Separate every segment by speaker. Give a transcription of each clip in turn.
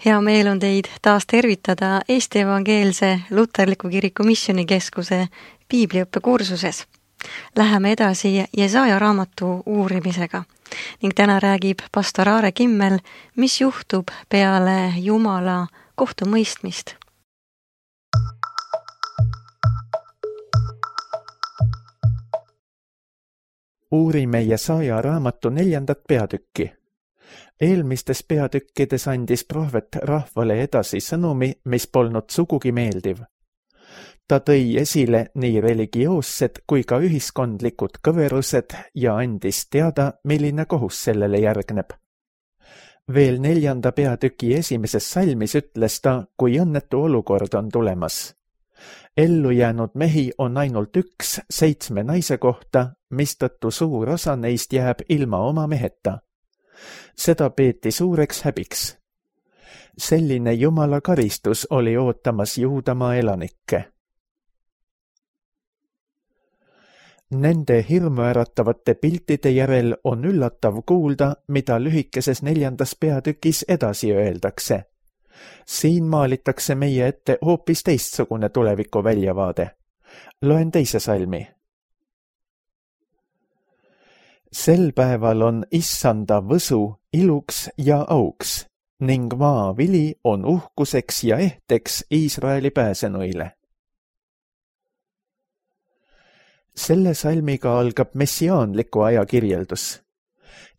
Speaker 1: Hea meel on teid taas tervitada Eesti Evangeelse Luterliku Kiriku Missioonikeskuse piibliõppekursuses. Läheme edasi Jesaja raamatu uurimisega ning täna räägib pastor Aare Kimmel, mis juhtub peale Jumala kohtumõistmist.
Speaker 2: Uurime Jesaja raamatu 4. peatükki. Eelmistes peatükkides andis prohvet rahvale edasi sõnumi, mis polnud sugugi meeldiv. Ta tõi esile nii religioossed kui ka ühiskondlikud kõverused ja andis teada, milline kohus sellele järgneb. Veel 4. peatüki esimeses salmis ütles ta, kui õnnetu olukord on tulemas. Ellu jäänud mehi on ainult 1 7 naise kohta, mistõttu suur osa neist jääb ilma oma meheta. Seda peeti suureks häbiks. Selline Jumala karistus oli ootamas Juudamaa elanikke. Nende hirmuäratavate piltide järel on üllatav kuulda, mida lühikeses 4. peatükis edasi öeldakse. Siin maalitakse meie ette hoopis teistsugune tuleviku väljavaade. Loen 2. salmi. Sel päeval on issanda võsu iluks ja auks ning maavili on uhkuseks ja ehteks Iisraeli pääsenuile. Selle salmiga algab messiaanliku aja kirjeldus.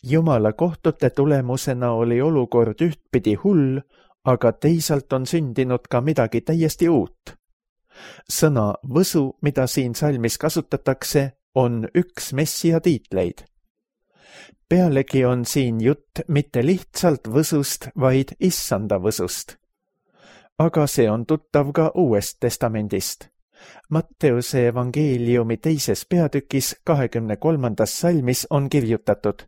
Speaker 2: Jumala kohtute tulemusena oli olukord ühtpidi hull, aga teisalt on sündinud ka midagi täiesti uut. Sõna võsu, mida siin salmis kasutatakse, on üks messia tiitleid. Pealegi on siin jutt mitte lihtsalt võsust, vaid issanda võsust. Aga see on tuttav ka Uuest testamendist. Matteuse evangeeliumi 2. peatükis 23. salmis on kirjutatud: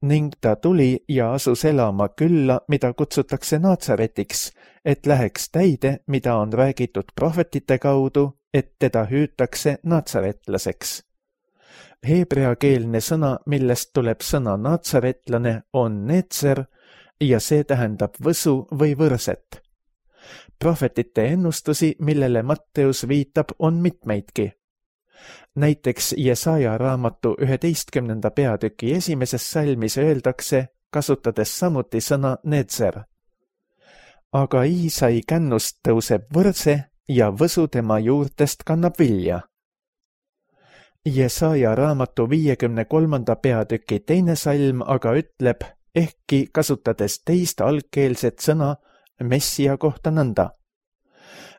Speaker 2: ning ta tuli ja asus elama külla, mida kutsutakse Natsaretiks, et läheks täide, mida on räägitud prohvetite kaudu, et teda hüütakse natsaretlaseks. Heebreakeelne sõna, millest tuleb sõna natsaretlane, on netser ja see tähendab võsu või võrset. Prohvetite ennustusi, millele Matteus viitab, on mitmeidki. Näiteks Jesaja raamatu 11. peatüki esimeses salmis öeldakse, kasutades samuti sõna netser. Aga Iisai kännust tõuseb võrse ja võsu tema juurtest kannab vilja. Jesaja raamatu 53. peatüki 2. salm aga ütleb, ehkki kasutades teist algkeelset sõna messia kohta nõnda.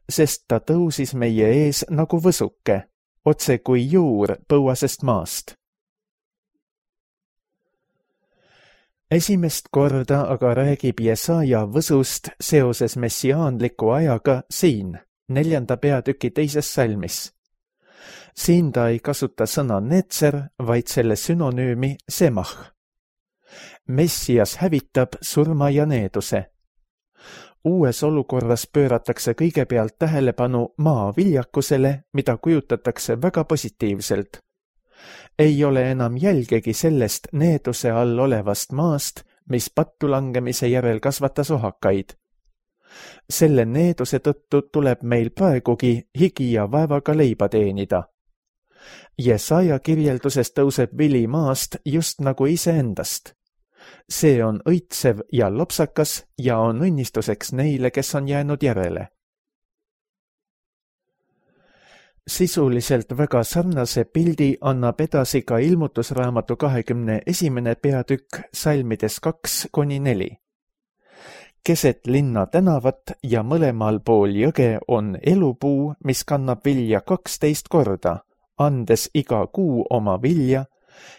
Speaker 2: Sest ta tõusis meie ees nagu võsuke, otse kui juur põuasest maast. Esimest korda aga räägib Jesaja võsust seoses messiaanliku ajaga siin, 4. peatüki 2. salmis. Siin ta ei kasuta sõna netser, vaid selle sünonüümi semah. Messias hävitab surma ja needuse. Uues olukorras pööratakse kõigepealt tähelepanu maa viljakusele, mida kujutatakse väga positiivselt. Ei ole enam jälgegi sellest needuse all olevast maast, mis pattu langemise järel kasvatas ohakaid. Selle needuse tõttu tuleb meil praegugi higi ja vaevaga leiba teenida. Jesaja kirjelduses tõuseb vili maast just nagu iseendast. See on õitsev ja lopsakas ja on õnnistuseks neile, kes on jäänud järele. Sisuliselt väga sarnase pildi annab edasi ka ilmutusraamatu 21. peatükk salmides 2-4. Keset linna tänavat ja mõlemal pool jõge on elupuu, mis kannab vilja 12 korda, andes iga kuu oma vilja,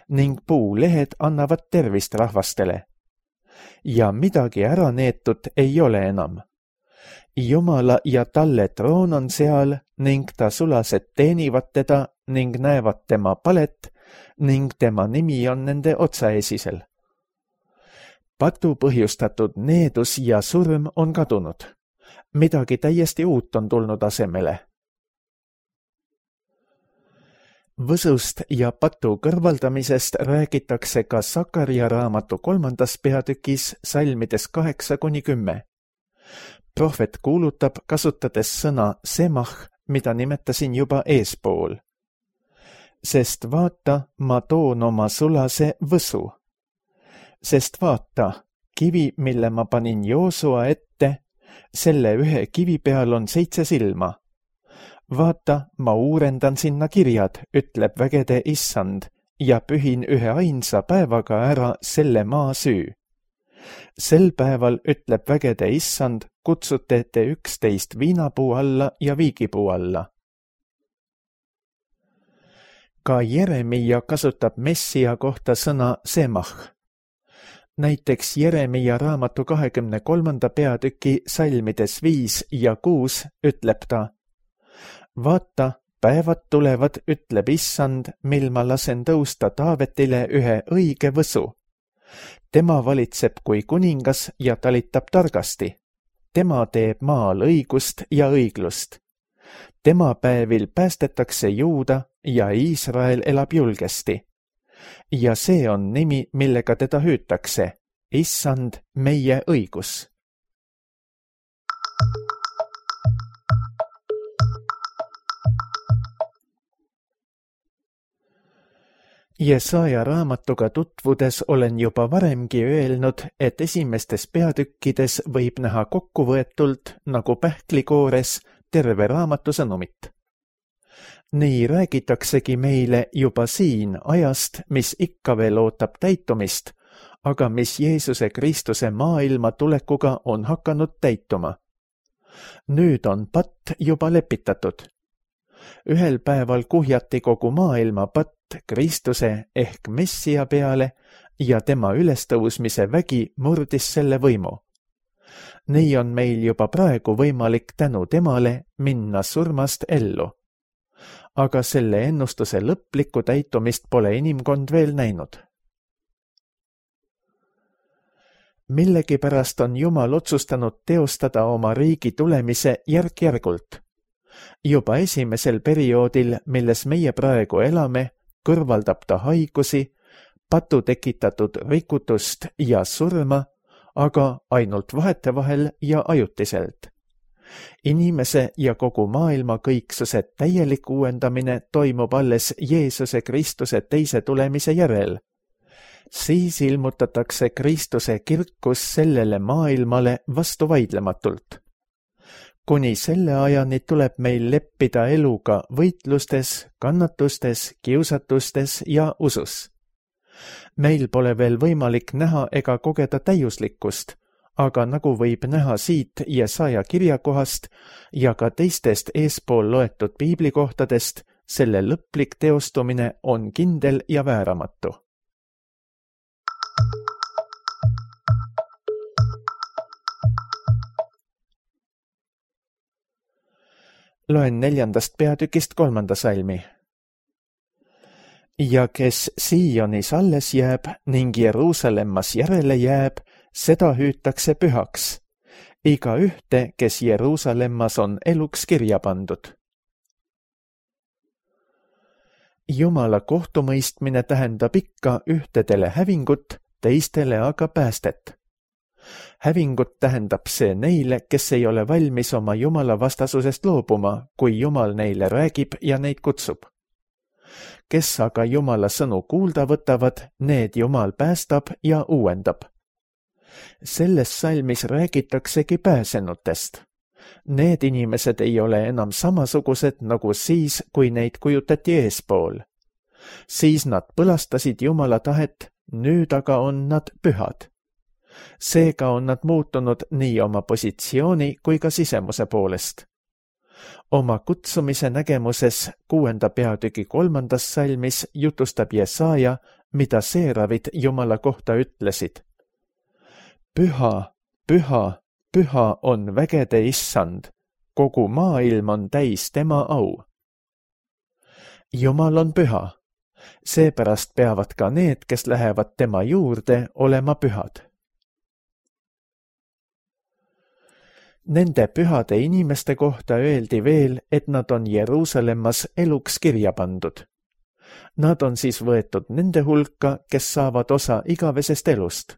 Speaker 2: ning puulehed annavad tervist rahvastele. Ja midagi ära neetud ei ole enam. Jumala ja talle troon on seal ning ta sulased teenivad teda ning näevad tema palet ning tema nimi on nende otsaesisel. Patu põhjustatud needus ja surm on kadunud. Midagi täiesti uut on tulnud asemele. Võsust ja patu kõrvaldamisest räägitakse ka Sakaria raamatu 3. peatükis salmides 8-10. prohvet kuulutab, kasutades sõna semach, mida nimetasin juba eespool. Sest vaata, ma toon oma sulase võsu. Sest vaata, kivi, mille ma panin Joosua ette, selle ühe kivi peal on 7 silma. Vaata, ma uurendan sinna kirjad, ütleb vägede issand, ja pühin ühe ainsa päevaga ära selle maa süü. Sel päeval, ütleb vägede issand, kutsute te 11 viinapuu alla ja viigipuu alla. Ka Jeremia kasutab Messia kohta sõna semach. Näiteks Jeremia raamatu 23. peatüki salmides 5 ja 6 ütleb ta: vaata, päevad tulevad, ütleb issand, mil ma lasen tõusta Taavetile ühe õige võsu. Tema valitseb kui kuningas ja talitab targasti. Tema teeb maal õigust ja õiglust. Tema päevil päästetakse Juuda ja Iisrael elab julgesti. Ja see on nimi, millega teda hüütakse: issand, meie õigus. Jesaja raamatuga tutvudes olen juba varemgi öelnud, et esimestes peatükkides võib näha kokkuvõetult nagu pähklikoores terve raamatu sõnumit. Nii räägitaksegi meile juba siin ajast, mis ikka veel ootab täitumist, aga mis Jeesuse Kristuse maailma tulekuga on hakanud täituma. Nüüd on patt juba lepitatud. Ühel päeval kuhjati kogu maailma patt Kristuse ehk Messia peale ja tema ülestõusmise vägi murdis selle võimu. Nii on meil juba praegu võimalik tänu temale minna surmast ellu. Aga selle ennustuse lõplikku täitumist pole inimkond veel näinud. Millegipärast on Jumal otsustanud teostada oma riigi tulemise järk-järgult. Juba esimesel perioodil, milles meie praegu elame, kõrvaldab ta haigusi, patu tekitatud rikutust ja surma, aga ainult vahetevahel ja ajutiselt. Inimese ja kogu maailma kõiksuse täielik uuendamine toimub alles Jeesuse Kristuse teise tulemise järel. Siis ilmutatakse Kristuse kirkus sellele maailmale vastuvaidlematult. Kuni selle ajani tuleb meil leppida eluga võitlustes, kannatustes, kiusatustes ja usus. Meil pole veel võimalik näha ega kogeda täiuslikkust, aga nagu võib näha siit Jesaja kirjakohast ja ka teistest eespool loetud piiblikohtadest, selle lõplik teostumine on kindel ja vääramatu. Loen 4. peatükist 3. salmi. Ja kes Sionis alles jääb ning Jeruusalemmas järele jääb, seda hüütakse pühaks. Iga ühte, kes Jeruusalemmas on eluks kirja pandud. Jumala kohtumõistmine tähendab ikka ühtedele hävingut, teistele aga päästet. Hävingut tähendab see neile, kes ei ole valmis oma Jumala vastasusest loobuma, kui Jumal neile räägib ja neid kutsub. Kes aga Jumala sõnu kuulda võtavad, need Jumal päästab ja uuendab. Selles salmis räägitaksegi pääsenutest. Need inimesed ei ole enam samasugused nagu siis, kui neid kujutati eespool. Siis nad põlastasid Jumala tahet, nüüd aga on nad pühad. Seega on nad muutunud nii oma positsiooni kui ka sisemuse poolest. Oma kutsumise nägemuses 6. peatüki 3. salmis jutustab Jesaja, mida seeravid Jumala kohta ütlesid. Püha, püha, püha on vägede issand, kogu maailm on täis tema au. Jumal on püha, seepärast peavad ka need, kes lähevad tema juurde, olema pühad. Nende pühade inimeste kohta öeldi veel, et nad on Jeruusalemmas eluks kirja pandud. Nad on siis võetud nende hulka, kes saavad osa igavesest elust.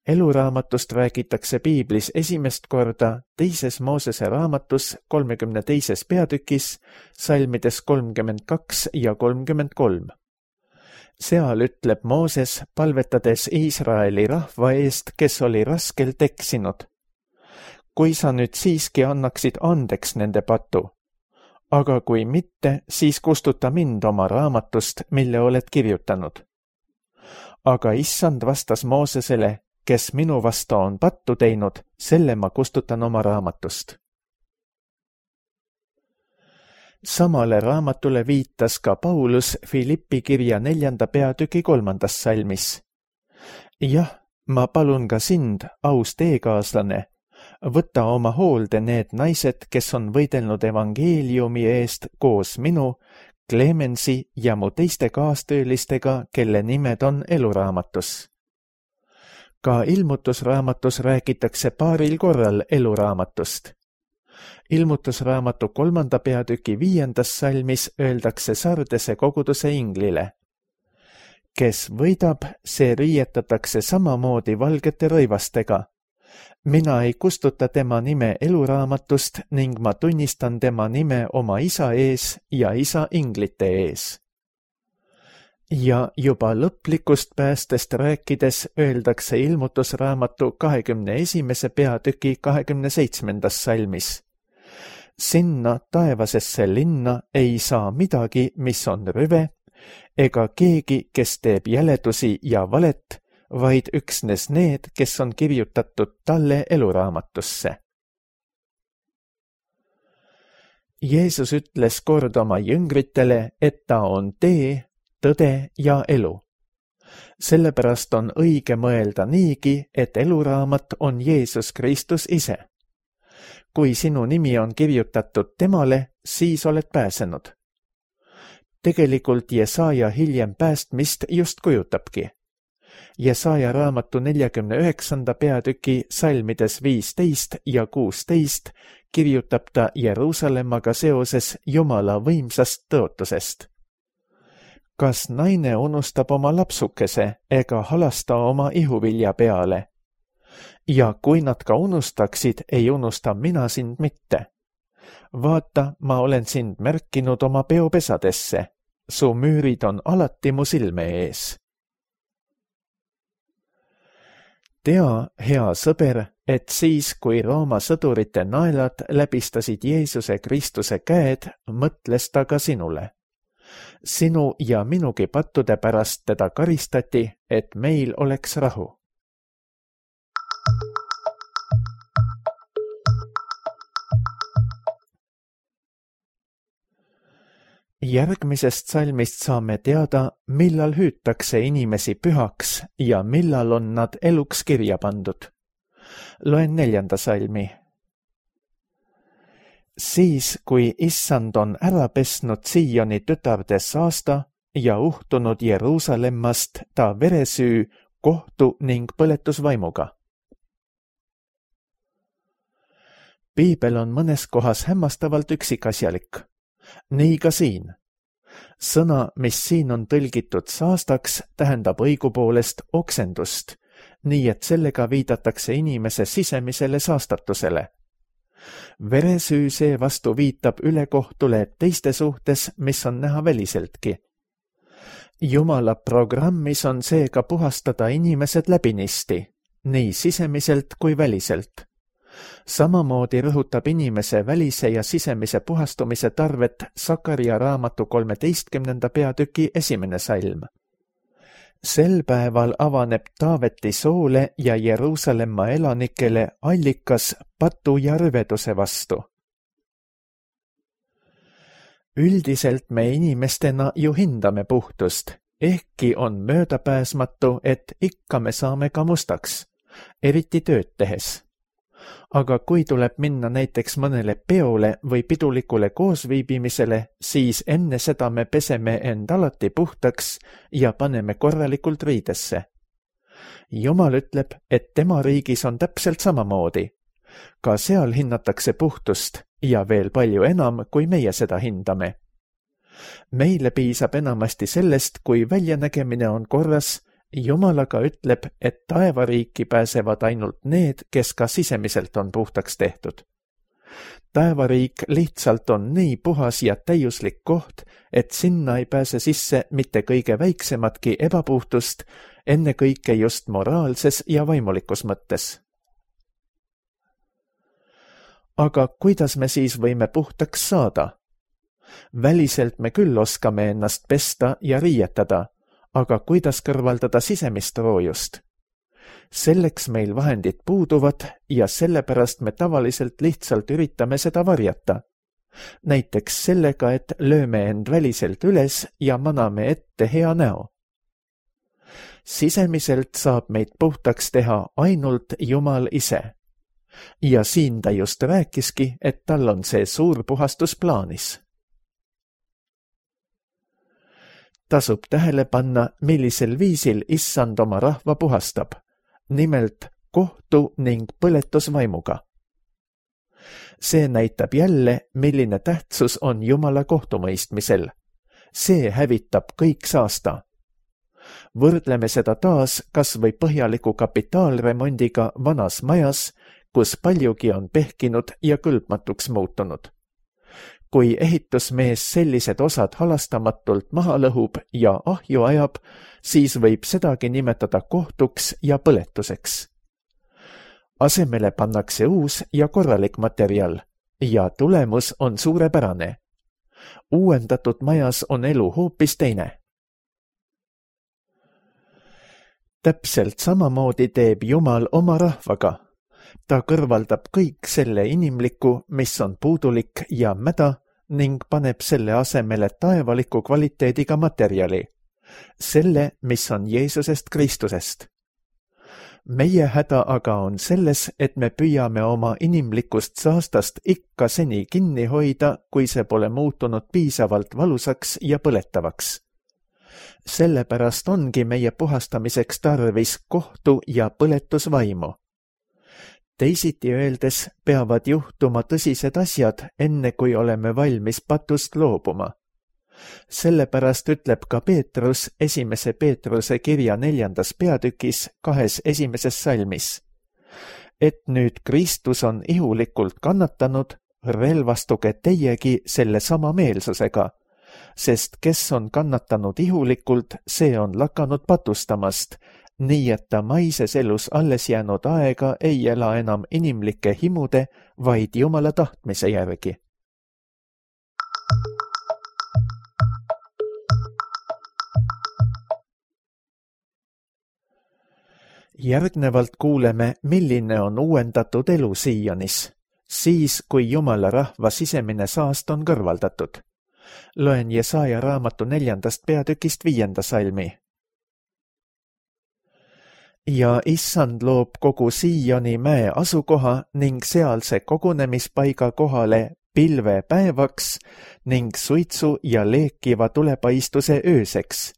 Speaker 2: eluraamatust räägitakse piiblis esimest korda 2. Moosese raamatus 32. peatükis, salmides 32 ja 33. Seal ütleb Mooses, palvetades Iisraeli rahva eest, kes oli raskelt eksinud. Kui sa nüüd siiski annaksid andeks nende patu, aga kui mitte, siis kustuta mind oma raamatust, mille oled kirjutanud. Aga issand vastas Moosesele, kes minu vastu on pattu teinud, selle ma kustutan oma raamatust. Samale raamatule viitas ka Paulus Filippi kirja 4. peatüki 3. salmis. Jah, ma palun ka sind, aus teekaaslane, võta oma hoolde need naised, kes on võidelnud evangeeliumi eest koos minu, Clemensi ja mu teiste kaastöölistega, kelle nimed on eluraamatus. Ka ilmutusraamatus räägitakse paaril korral eluraamatust. Ilmutusraamatu 3. peatüki 5. salmis öeldakse Sardese koguduse inglile. Kes võidab, see riietatakse samamoodi valgete rõivastega. Mina ei kustuta tema nime eluraamatust ning ma tunnistan tema nime oma isa ees ja isa inglite ees. Ja juba lõplikust päästest rääkides öeldakse ilmutusraamatu 21. peatüki 27. salmis. Sinna taevasesse linna ei saa midagi, mis on rüve, ega keegi, kes teeb jäledusi ja valet, vaid üksnes need, kes on kirjutatud talle eluraamatusse. Jeesus ütles kord oma jüngritele, et ta on tee, tõde ja elu. Sellepärast on õige mõelda niigi, et eluraamat on Jeesus Kristus ise. Kui sinu nimi on kirjutatud temale, siis oled pääsenud. Tegelikult Jesaja hiljem päästmist just kujutabki. Jesaja raamatu 49. peatüki salmides 15 ja 16 kirjutab ta Jeruusalemmaga seoses Jumala võimsast tõotusest. Kas naine unustab oma lapsukese ega halasta oma ihuvilja peale? Ja kui nad ka unustaksid, ei unusta mina sind mitte. Vaata, ma olen sind märkinud oma peopesadesse. Su müürid on alati mu silme ees. Tea, hea sõber, et siis, kui Rooma sõdurite naelad läbistasid Jeesuse Kristuse käed, mõtles ta ka sinule. Sinu ja minugi pattude pärast teda karistati, et meil oleks rahu. Järgmisest salmist saame teada, millal hüütakse inimesi pühaks ja millal on nad eluks kirja pandud. Loen 4. salmi. Siis, kui issand on ära pesnud Sioni tütarde saasta ja uhtunud Jeruusalemmast ta veresüü, kohtu ning põletusvaimuga. Piibel on mõnes kohas hämmastavalt üksikasjalik. Nii ka siin. Sõna, mis siin on tõlgitud saastaks, tähendab õigupoolest oksendust, nii et sellega viidatakse inimese sisemisele saastatusele. Veresüü seevastu viitab ülekohtule teiste suhtes, mis on näha väliseltki. Jumala programmis on seega puhastada inimesed läbinisti, nii sisemiselt kui väliselt. Samamoodi rõhutab inimese välise ja sisemise puhastumise tarvet Sakaria raamatu 13. peatüki 1. salm. Sel päeval avaneb Taaveti soole ja Jeruusalemma elanikele allikas patu ja rüveduse vastu. Üldiselt me inimestena ju hindame puhtust, ehkki on möödapääsmatu, et ikka me saame ka mustaks, eriti tööd tehes. Aga kui tuleb minna näiteks mõnele peole või pidulikule koosviibimisele, siis enne seda me peseme end alati puhtaks ja paneme korralikult riidesse. Jumal ütleb, et tema riigis on täpselt samamoodi. Ka seal hinnatakse puhtust ja veel palju enam, kui meie seda hindame. Meile piisab enamasti sellest, kui väljanägemine on korras Jumalaga ütleb, et taevariiki pääsevad ainult need, kes ka sisemiselt on puhtaks tehtud. Taevariik lihtsalt on nii puhas ja täiuslik koht, et sinna ei pääse sisse mitte kõige väiksematki ebapuhtust, ennekõike just moraalses ja vaimulikus mõttes. Aga kuidas me siis võime puhtaks saada? Väliselt me küll oskame ennast pesta ja riietada, aga kuidas kõrvaldada sisemist roojust? Selleks meil vahendid puuduvad ja sellepärast me tavaliselt lihtsalt üritame seda varjata. Näiteks sellega, et lööme end väliselt üles ja maname ette hea näo. Sisemiselt saab meid puhtaks teha ainult Jumal ise. Ja siin ta just rääkiski, et tal on see suur puhastus plaanis. Tasub tähele panna, millisel viisil Issand oma rahva puhastab. Nimelt kohtu ning põletusvaimuga. See näitab jälle, milline tähtsus on Jumala kohtumõistmisel. See hävitab kõik saasta. Võrdleme seda taas kas või põhjaliku kapitaalremondiga vanas majas, kus paljugi on pehkinud ja kõlbmatuks muutunud. Kui ehitusmees sellised osad halastamatult maha lõhub ja ahju ajab, siis võib sedagi nimetada kohtuks ja põletuseks. Asemele pannakse uus ja korralik materjal ja tulemus on suurepärane. Uuendatud majas on elu hoopis teine. Täpselt samamoodi teeb Jumal oma rahvaga. Ta kõrvaldab kõik selle inimliku, mis on puudulik ja mäda, ning paneb selle asemele taevaliku kvaliteediga materjali. Selle, mis on Jeesusest Kristusest. Meie häda aga on selles, et me püüame oma inimlikust saastast ikka seni kinni hoida, kui see pole muutunud piisavalt valusaks ja põletavaks. Sellepärast ongi meie puhastamiseks tarvis kohtu ja põletusvaimu. Teisiti öeldes peavad juhtuma tõsised asjad, enne kui oleme valmis patust loobuma. Sellepärast ütleb ka Peetrus 1. Peetruse kirja 4. peatükis 2 esimeses salmis. Et nüüd Kristus on ihulikult kannatanud, relvastuge teiegi selle sama meelsusega, sest kes on kannatanud ihulikult, see on lakanud patustamast, nii et ta maises elus alles jäänud aega ei ela enam inimlike himude, vaid Jumala tahtmise järgi. Järgnevalt kuuleme, milline on uuendatud elu Siianis, siis kui Jumala rahva sisemine saast on kõrvaldatud. Loen Jesaja raamatu 4. peatükist 5. salmi. Ja Issand loob kogu Siioni mäe asukoha ning sealse kogunemispaiga kohale pilve päevaks ning suitsu ja leekiva tulepaistuse ööseks,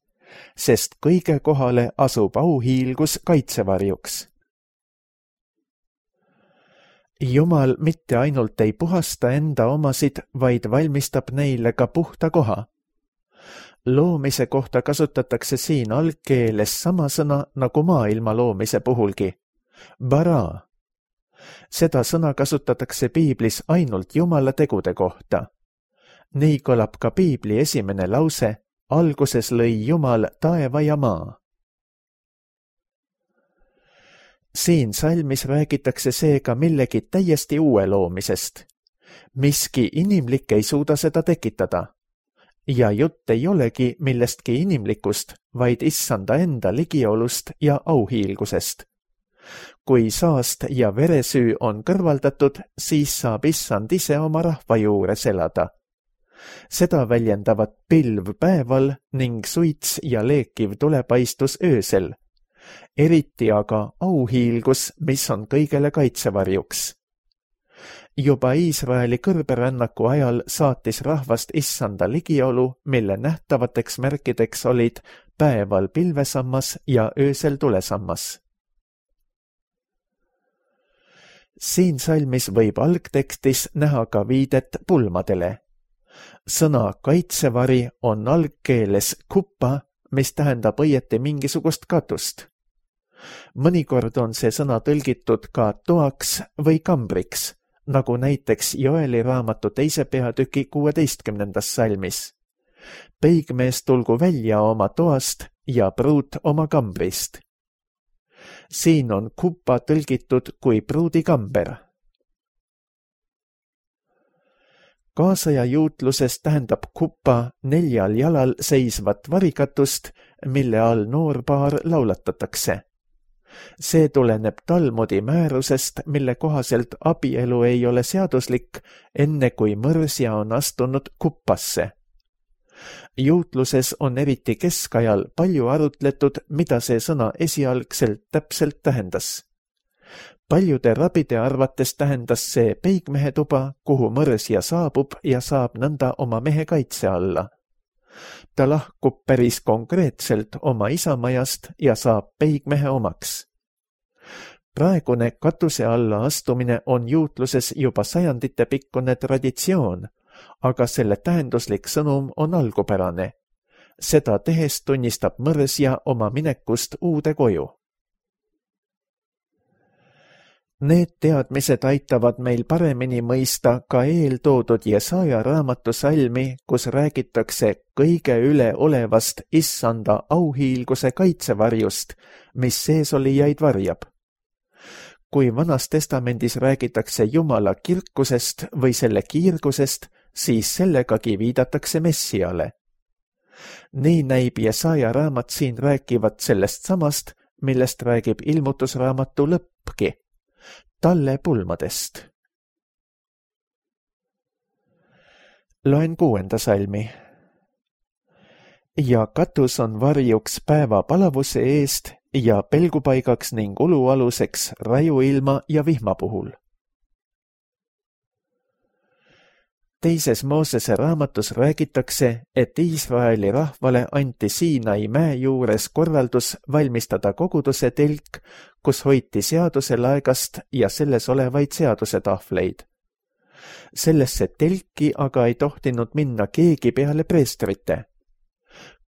Speaker 2: sest kõige kohale asub auhiilgus kaitsevarjuks. Jumal mitte ainult ei puhasta enda omasid, vaid valmistab neile ka puhta koha. Loomise kohta kasutatakse siin algkeeles sama sõna nagu maailma loomise puhulgi. Bara. Seda sõna kasutatakse piiblis ainult Jumala tegude kohta. Nii kõlab ka piibli esimene lause, alguses lõi Jumal taeva ja maa. Siin salmis räägitakse seega millegi täiesti uue loomisest. Miski inimlik ei suuda seda tekitada. Ja jutt ei olegi millestki inimlikust, vaid Issanda enda ligiolust ja auhiilgusest. Kui saast ja veresüü on kõrvaldatud, siis saab Issand ise oma rahva juures elada. Seda väljendavad pilv päeval ning suits ja leekiv tulepaistus öösel. Eriti aga auhiilgus, mis on kõigele kaitsevarjuks. Juba Iisraeli kõrberännaku ajal saatis rahvast Issanda ligiolu, mille nähtavateks märkideks olid päeval pilvesammas ja öösel tulesammas. Siin salmis võib algtekstis näha ka viidet pulmadele. Sõna kaitsevari on algkeeles kuppa mis tähendab õieti mingisugust katust. Mõnikord on see sõna tõlgitud ka toaks või kambriks, nagu näiteks Joeli raamatu 2. peatüki 16. salmis. Peigmees tulgu välja oma toast ja pruut oma kambrist. Siin on kuppa tõlgitud kui pruudikamber. Kaasaja juutluses tähendab kuppa 4 jalal seisvat varikatust, mille all noorpaar laulatatakse. See tuleneb Talmudi määrusest, mille kohaselt abielu ei ole seaduslik, enne kui mõrsja on astunud kuppasse. Juutluses on eriti keskajal palju arutletud, mida see sõna esialgselt täpselt tähendas. Paljude rabide arvates tähendas see peigmehe tuba, kuhu mõrsja saabub ja saab nõnda oma mehe kaitse alla. Ta lahkub päris konkreetselt oma isamajast ja saab peigmehe omaks. Praegune katuse alla astumine on juutluses juba sajandite pikkune traditsioon, aga selle tähenduslik sõnum on algupärane. Seda tehes tunnistab mõrsja oma minekust uude koju. Need teadmised aitavad meil paremini mõista ka eeltoodud Jesaja raamatu salmi, kus räägitakse kõige üleolevast issanda auhiilguse kaitsevarjust, mis seesolijaid varjab. Kui Vanas Testamendis räägitakse Jumala kirkusest või selle kiirgusest, siis sellegagi viidatakse Messiale. Nii näib Jesaja raamat siin rääkivat sellest samast, millest räägib ilmutusraamatu lõppki, talle pulmadest. Loen 6. salmi. Ja katus on varjuks päeva palavuse eest ja pelgupaigaks ning ulualuseks rajuilma ja vihma puhul. Teises Moosese raamatus räägitakse, et Iisraeli rahvale anti Siinai mäe juures korraldus valmistada koguduse telk, kus hoiti seaduse laegast ja selles olevaid seadusetahvleid. Sellesse telki aga ei tohtinud minna keegi peale preestrite.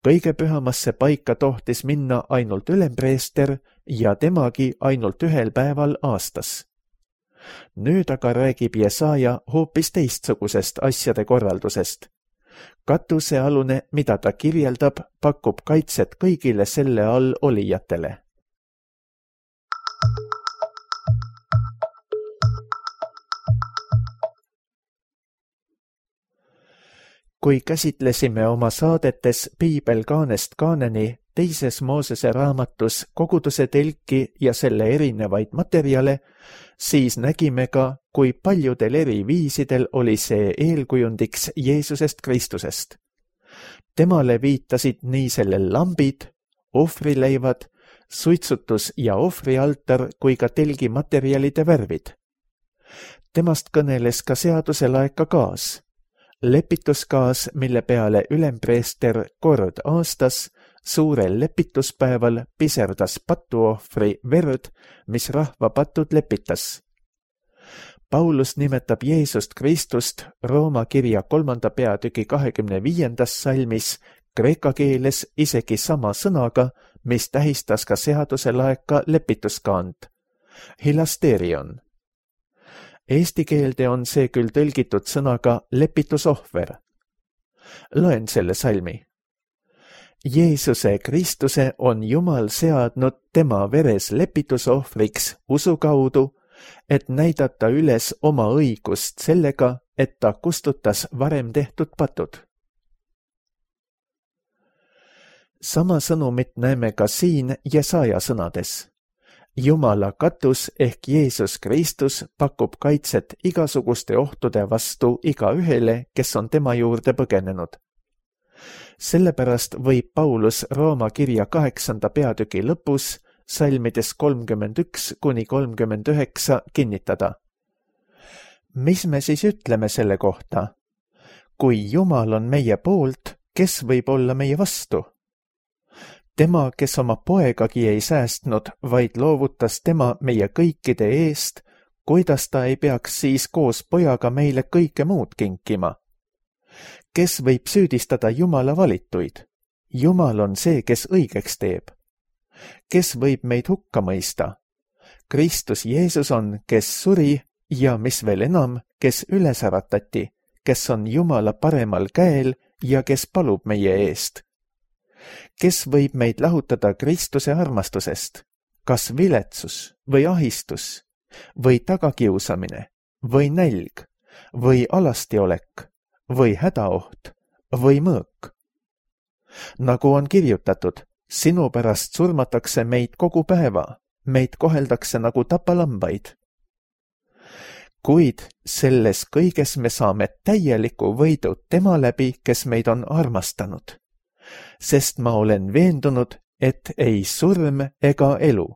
Speaker 2: Kõige pühamasse paika tohtis minna ainult ülempreester ja temagi ainult 1 päeval aastas. Nüüd aga räägib Jesaja hoopis teistsugusest asjade korraldusest. Katusealune, mida ta kirjeldab, pakub kaitset kõigile selle all olijatele. Kui käsitlesime oma saadetes Piibel kaanest kaaneni teises Moosese raamatus koguduse telki ja selle erinevaid materjale, siis nägime ka, kui paljudel eri viisidel oli see eelkujundiks Jeesusest Kristusest. Temale viitasid nii sellel lambid, ohvrileivad, suitsutus- ja ohvrialtar kui ka telgi materjalide värvid. Temast kõneles ka seaduselaeka kaas. Lepituskaas, mille peale ülempreester kord aastas suurel lepituspäeval piserdas patuohvri verd, mis rahva patud lepitas. Paulus nimetab Jeesust Kristust Rooma kirja 3. peatüki 25. salmis kreeka keeles isegi sama sõnaga, mis tähistas ka seaduselaeka lepituskaant, hilasterion. Eesti keelde on see küll tõlgitud sõnaga lepitusohver. Loen selle salmi. Jeesuse Kristuse on Jumal seadnud tema veres lepitusohvriks usu kaudu, et näidata üles oma õigust sellega, et ta kustutas varem tehtud patud. Sama sõnumit näeme ka siin Jesaja sõnades. Jumala katus ehk Jeesus Kristus pakub kaitset igasuguste ohtude vastu igaühele, kes on tema juurde põgenenud. Sellepärast võib Paulus Rooma kirja 8. peatüki lõpus salmides 31–39 kinnitada. Mis me siis ütleme selle kohta? Kui Jumal on meie poolt, kes võib olla meie vastu? Tema, kes oma poegagi ei säästnud, vaid loovutas tema meie kõikide eest, kuidas ta ei peaks siis koos pojaga meile kõike muud kinkima? Kes võib süüdistada Jumala valituid? Jumal on see, kes õigeks teeb. Kes võib meid hukka mõista? Kristus Jeesus on, kes suri ja mis veel enam, kes üles äratati, kes on Jumala paremal käel ja kes palub meie eest. Kes võib meid lahutada Kristuse armastusest? Kas viletsus või ahistus või tagakiusamine või nälg või alastiolek või hädaoht või mõõk? Nagu on kirjutatud, sinu pärast surmatakse meid kogu päeva, meid koheldakse nagu tapalambaid. Kuid selles kõiges me saame täieliku võidu tema läbi, kes meid on armastanud. Sest ma olen veendunud, et ei surm ega elu,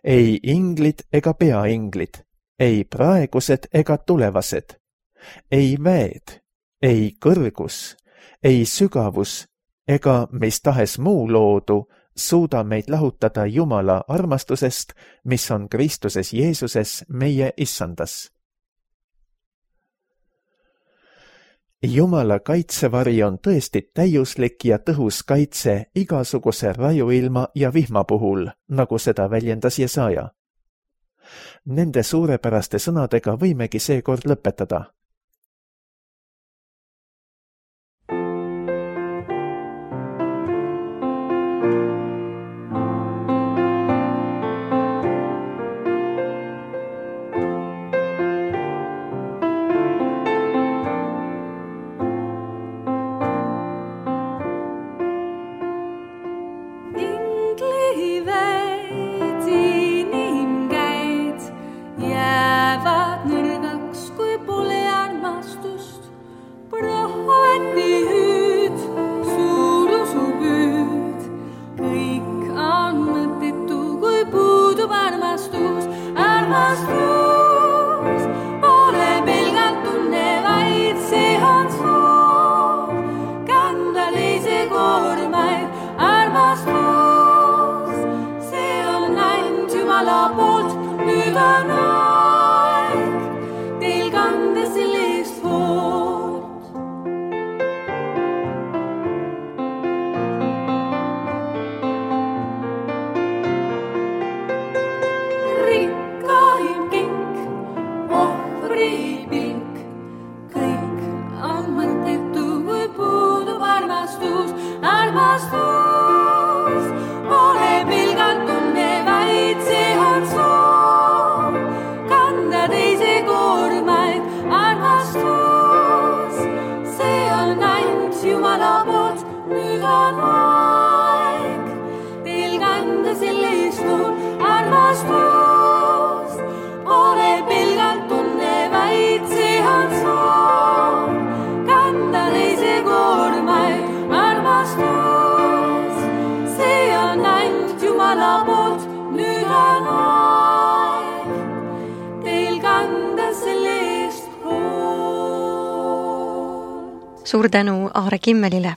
Speaker 2: ei inglid ega peainglid, ei praegused ega tulevased, ei väed, ei kõrgus, ei sügavus ega mis tahes muu loodu suuda meid lahutada Jumala armastusest, mis on Kristuses Jeesuses meie issandas. Jumala kaitsevari on tõesti täiuslik ja tõhus kaitse igasuguse rajuilma ja vihma puhul, nagu seda väljendas Jesaja. Nende suurepäraste sõnadega võimegi seekord lõpetada.
Speaker 1: Suur tänu Aare Kimmelile.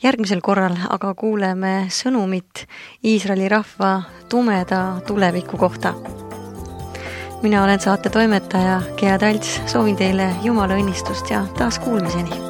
Speaker 1: Järgmisel korral aga kuuleme sõnumit Iisraeli rahva tumeda tuleviku kohta. Mina olen saate toimetaja Gea Talts, soovin teile Jumala õnnistust ja taas kuulmiseni.